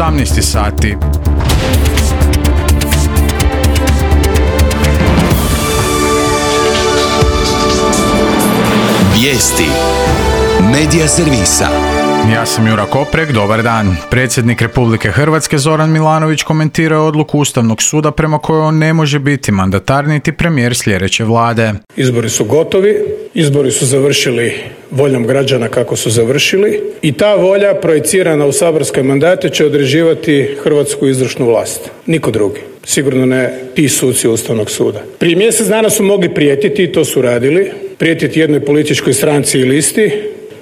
18 sati. Vijesti Medija servisa. Ja sam Jura Koprek, dobar dan. Predsjednik Republike Hrvatske Zoran Milanović komentirao je odluku Ustavnog suda prema kojoj on ne može biti mandatar niti premijer sljedeće vlade. Izbori su gotovi, izbori su završili voljom građana kako su završili i ta volja projicirana u saborske mandate će određivati hrvatsku izvršnu vlast. Niko drugi. Sigurno ne ti suci Ustavnog suda. Prije mjesec dana su mogli prijetiti i to su radili. Prijetiti jednoj političkoj stranci i listi.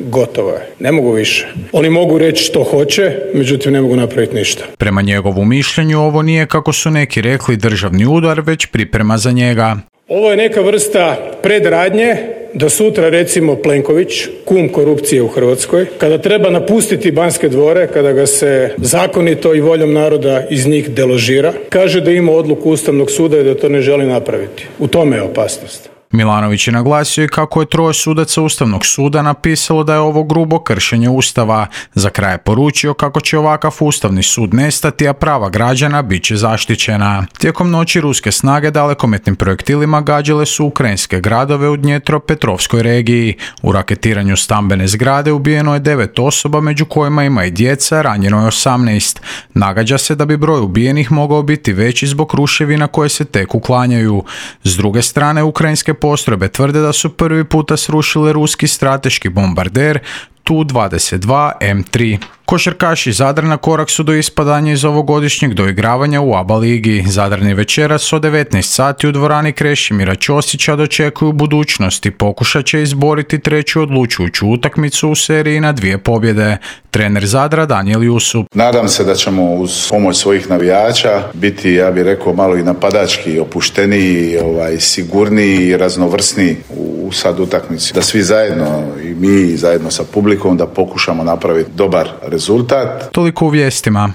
Gotovo je. Ne mogu više. Oni mogu reći što hoće, međutim ne mogu napraviti ništa. Prema njegovu mišljenju ovo nije, kako su neki rekli, državni udar, već priprema za njega. Ovo je neka vrsta predradnje da sutra recimo Plenković, kum korupcije u Hrvatskoj, kada treba napustiti Banske dvore, kada ga se zakonito i voljom naroda iz njih deložira, kaže da ima odluku Ustavnog suda i da to ne želi napraviti. U tome je opasnost. Milanović je naglasio i kako je 3 sudaca Ustavnog suda napisalo da je ovo grubo kršenje Ustava. Za kraj je poručio kako će ovakav Ustavni sud nestati, a prava građana bit će zaštićena. Tijekom noći ruske snage dalekometnim projektilima gađale su ukrajinske gradove u Dnjepropetrovskoj regiji. U raketiranju stambene zgrade ubijeno je 9 osoba, među kojima ima i djeca, ranjeno je 18. Nagađa se da bi broj ubijenih mogao biti veći zbog ruševina koje se tek uklanjaju. S druge strane, ukrajinske postrojbe tvrde da su prvi puta srušile ruski strateški bombarder Tu-22 M3. Košarkaši Zadra na korak su do ispadanja iz ovogodišnjeg doigravanja u ABA ligi. Zadrani večeras od 19 sati u dvorani Krešimira Ćosića dočekuju budućnost i pokušat će izboriti 3. odlučujuću utakmicu u seriji na 2 pobjede. Trener Zadra Danijel Jusup. Nadam se da ćemo uz pomoć svojih navijača biti, ja bih rekao, malo i napadački, opušteniji, sigurniji i raznovrsniji u sad utakmici. Da svi zajedno i mi zajedno sa publikom da pokušamo napraviti dobar rezultat. Toliko u vijestima.